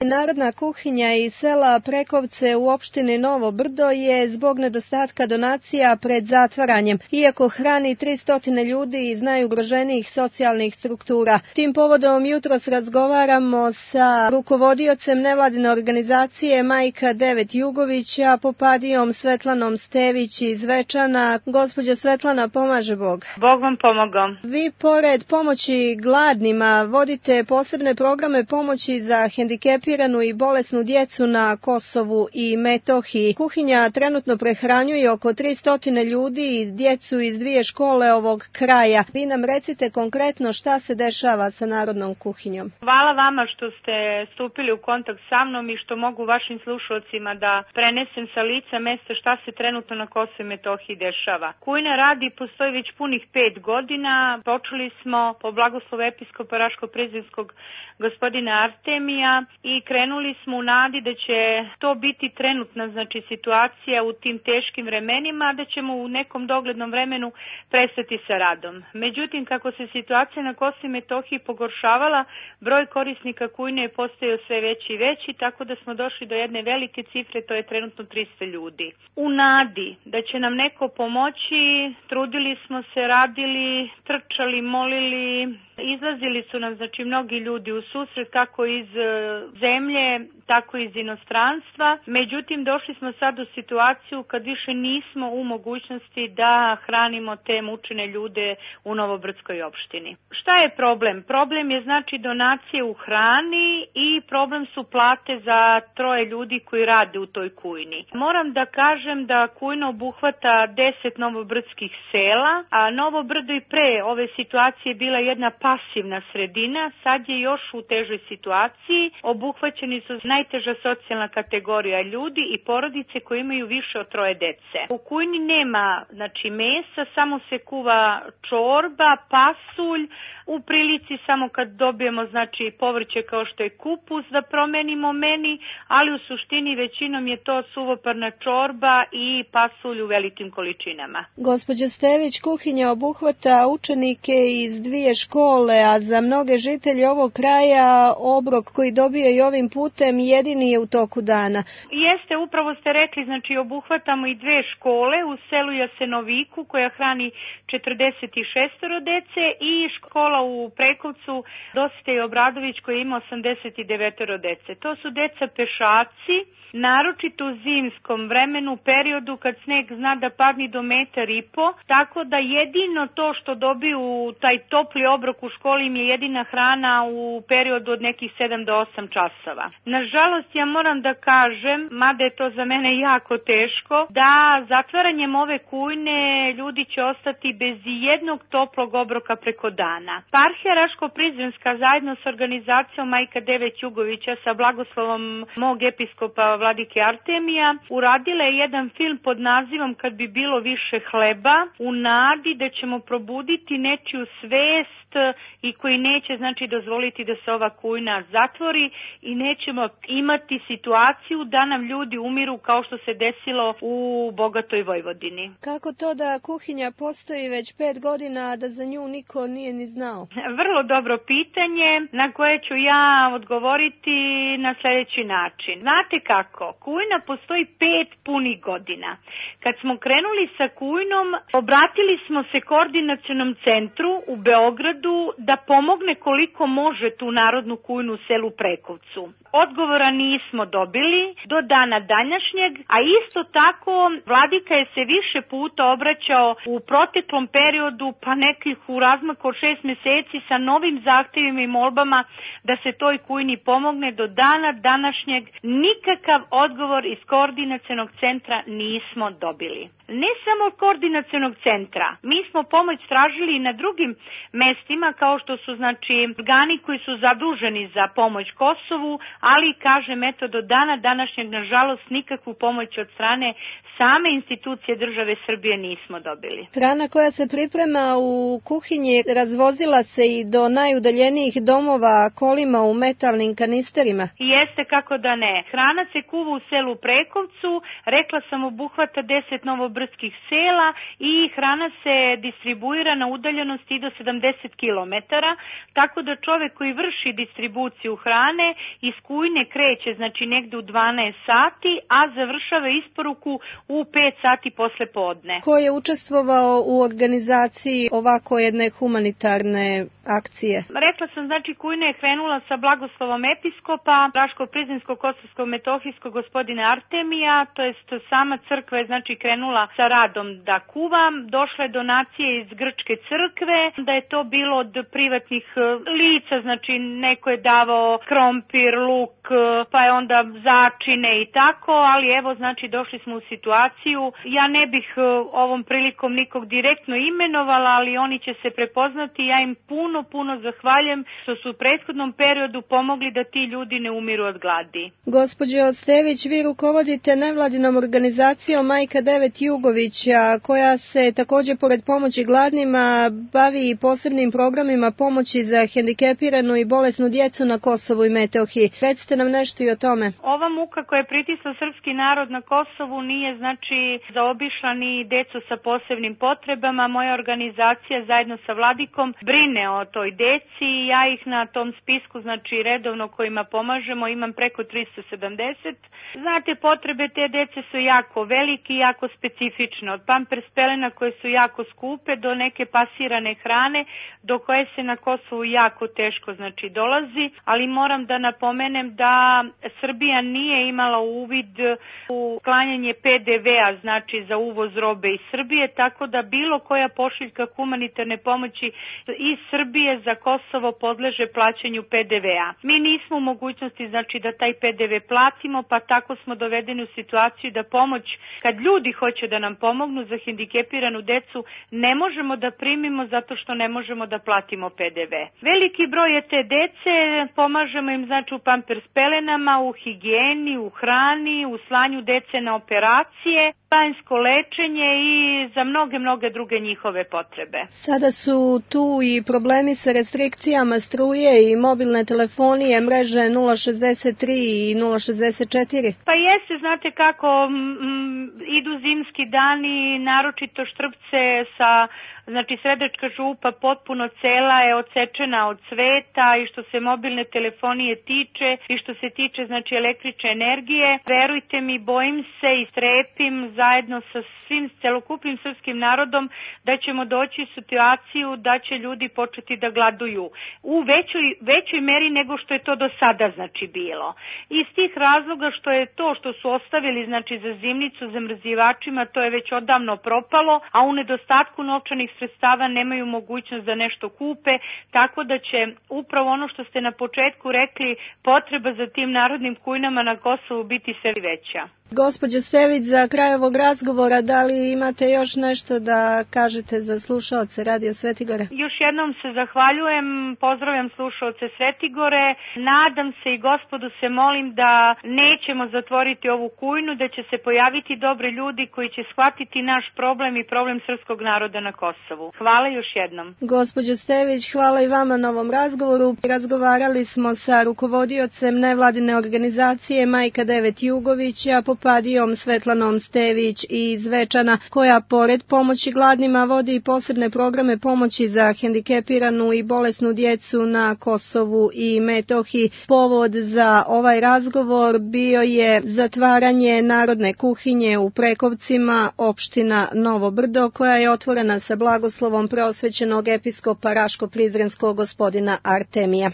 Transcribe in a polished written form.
Narodna kuhinja iz sela Prekovce u opštini Novo Brdo je zbog nedostatka donacija pred zatvaranjem, iako hrani 300 ljudi iz najugroženijih socijalnih struktura. Tim povodom jutros razgovaramo sa rukovodiocem nevladine organizacije Majka 9 Jugovića, Popadijom Svetlanom Stević iz Zvečana. Gospođo Svetlana, pomaže Bog. Bog vam pomogao. Vi pored pomoći gladnima vodite posebne programe pomoći za hendikepiranu i bolesnu djecu na Kosovu i Metohiji. Kuhinja trenutno prehranjuje oko 300 ljudi i djecu iz 2 škole ovog kraja. Vi nam recite konkretno šta se dešava sa Narodnom kuhinjom. Hvala vama što ste stupili u kontakt sa mnom i što mogu vašim slušalcima da prenesem sa lica mesta šta se trenutno na Kosovu i Metohiji dešava. Kujna radi postoji već punih 5 godina. Počeli smo po blagoslovu episkopa Raško-Prizrenskog gospodina Artemija i krenuli smo u nadi da će to biti trenutna situacija u tim teškim vremenima, da ćemo u nekom doglednom vremenu prestati sa radom. Međutim, kako se situacija na Kosovu i Metohiji pogoršavala, broj korisnika kujne je postajao sve veći i veći, tako da smo došli do jedne velike cifre, to je trenutno 300 ljudi. U nadi da će nam neko pomoći, trudili smo se, radili, trčali, molili, izlazili su nam mnogi ljudi u susret, kako iz zemlje, tako i iz inostranstva. Međutim, došli smo sad u situaciju kad više nismo u mogućnosti da hranimo te mučene ljude u Novobrdskoj opštini. Šta je problem? Problem je donacije u hrani i problem su plate za 3 ljudi koji rade u toj kujni. Moram da kažem da kujna obuhvata 10 novobrdskih sela, a Novo Brdo i pre ove situacije bila jedna pasivna sredina, sad je još u težoj situaciji. Obuhvaćeni su najteža socijalna kategorija ljudi i porodice koje imaju više od 3 dece. U kujni nema mesa, samo se kuva čorba, pasulj, u prilici samo kad dobijemo povrće kao što je kupus da promenimo meni, ali u suštini većinom je to suvoparna čorba i pasulj u velikim količinama. Gospođo Stević, kuhinja obuhvata učenike iz 2 škole, a za mnoge žitelje ovog kraja obrok koji dobije i ovim putem jedini je u toku dana. Jeste, upravo ste rekli, obuhvatamo i 2 škole u selu Jasenoviku koja hrani 46 dece i škola u Prekovcu Dositej Obradović koji ima 89 dece. To su deca pešaci, naročito u zimskom vremenu, periodu kad sneg zna da padne do 1,5 m, tako da jedino to što dobiju taj topli obrok u školi im je jedina hrana u periodu od nekih 7 do 8 časova. Nažalost, ja moram da kažem, mada je to za mene jako teško, da zatvaranjem ove kujne ljudi će ostati bez jednog toplog obroka preko dana. Eparhija Raško-Prizrenska zajedno s organizacijom Majka 9 Jugovića sa blagoslovom mog episkopa vladike Artemija uradila je jedan film pod nazivom Kad bi bilo više hleba, u nadi da ćemo probuditi nečiju svest i koji neće dozvoliti da se ova kujna zatvori i nećemo imati situaciju da nam ljudi umiru kao što se desilo u bogatoj Vojvodini. Kako to da kuhinja postoji već 5 godina, a da za nju niko nije ni znao? Vrlo dobro pitanje na koje ću ja odgovoriti na sljedeći način. Znate kako? Kujna postoji 5 punih godina. Kad smo krenuli sa kujnom, obratili smo se koordinacionom centru u Beogradu da pomogne koliko može tu narodnu kujnu u selu Prekovcu. Odgovora nismo dobili do dana današnjeg, a isto tako vladika je se više puta obraćao u proteklom periodu, pa nekih u razmaku od 6 meseci sa novim zahtjevima i molbama da se toj kujni pomogne. Do dana današnjeg nikakav odgovor iz koordinacionog centra nismo dobili. Ne samo od koordinacionog centra, mi smo pomoć tražili i na drugim mestima kao što su organi koji su zaduženi za pomoć Kosovu, ali kažem do dana današnjeg nažalost nikakvu pomoć od strane same institucije države Srbije nismo dobili. Hrana koja se priprema u kuhinji razvozila se i do najudaljenijih domova kolima u metalnim kanisterima? Jeste, kako da ne. Hrana se kuva u selu Prekovcu, rekla sam obuhvata 10 novobrdskih brdskih sela i hrana se distribuira na udaljenosti do 70 km, tako da čovek koji vrši distribuciju hrane iz Kujne kreće znači negde u 12 sati, a završava isporuku u 5 sati posle podne. Ko je učestvovao u organizaciji ovako jedne humanitarne akcije? Rekla sam, znači Kujna je krenula sa blagoslovom episkopa Raško-Prizinsko-Kosovsko-Metohijskog gospodina Artemija, to jest sama crkva je znači krenula sa radom da kuva. Došle je donacije iz Grčke crkve, da je to bilo od privatnih lica, znači neko je davao krompir, luk, pa je onda začine i tako, ali evo znači došli smo u situaciju. Ja ne bih ovom prilikom nikog direktno imenovala, ali oni će se prepoznati. Ja im puno zahvaljujem što su u prethodnom periodu pomogli da ti ljudi ne umiru od gladi. Gospođo Stević, vi rukovodite nevladinom organizacijom Majka 9 Jugovića, koja se također pored pomoći gladnima bavi i posebnim programima pomoći za hendikepiranu i bolesnu djecu na Kosovu i Metohiji. Recite nam nešto i o tome. Ova muka koja je pritisla srpski narod na Kosovu nije znači zaobišla ni decu sa posebnim potrebama. Moja organizacija zajedno sa Vladikom brine o toj deci i ja ih na tom spisku znači redovno kojima pomažemo imam preko 370. Znate, potrebe te dece su jako velike i jako specifične. Od pampers pelena koje su jako skupe do neke pasirane hrane do koje se na Kosovu jako teško znači dolazi, ali moram da napomenem da Srbija nije imala uvid u klanjanje PDV-a znači za uvoz robe iz Srbije, tako da bilo koja pošiljka humanitarne pomoći iz Srbije za Kosovo podleže plaćanju PDV-a. Mi nismo u mogućnosti znači da taj PDV platimo, pa tako smo dovedeni u situaciju da pomoć, kad ljudi hoće da nam pomognu za hendikepiranu decu, ne možemo da primimo zato što ne možemo da platimo PDV. Veliki broj je te dece, pomažemo im znači u pampers pelenama, u higijeni, u hrani, u slanju dece na operacije, banjsko lečenje i za mnoge druge njihove potrebe. Sada su tu i problemi sa restrikcijama struje i mobilne telefonije, mreže 063 i 064. Pa jeste, znate kako idu zimski dani, naročito Štrpce sa znači Sredačka župa potpuno cela je odsečena od sveta i što se mobilne telefonije tiče i što se tiče znači električne energije. Verujte mi, bojim se i strepim zajedno sa svim celokupnim srpskim narodom da ćemo doći u situaciju da će ljudi početi da gladuju u većoj meri nego što je to do sada znači bilo. Iz tih razloga što je to što su ostavili znači za zimnicu zamrzivačima, to je već odavno propalo, a u nedostatku novčanih sredstava nemaju mogućnost da nešto kupe, tako da će upravo ono što ste na početku rekli, potreba za tim narodnim kujnama na Kosovu biti sve veća. Gospođo Stević, za kraj ovog razgovora, da li imate još nešto da kažete za slušaoce Radio Svetigore? Još jednom se zahvaljujem, pozdravljam slušaoce Svetigore, nadam se i Gospodu se molim da nećemo zatvoriti ovu kujnu, da će se pojaviti dobri ljudi koji će shvatiti naš problem i problem srpskog naroda na Kosovu. Hvala još jednom. Gospođo Stević, hvala i vama na ovom razgovoru. Razgovarali smo sa rukovodiocem nevladine organizacije Majka 9 Jugovića, Popadijom Svetlanom Stević iz Zvečana, koja pored pomoći gladnima vodi i posebne programe pomoći za hendikepiranu i bolesnu djecu na Kosovu i Metohiji. Povod za ovaj razgovor bio je zatvaranje narodne kuhinje u Prekovcima, opština Novo Brdo, koja je otvorena sa blagoslovom preosvećenog episkopa Raško-Prizrenskog gospodina Artemija.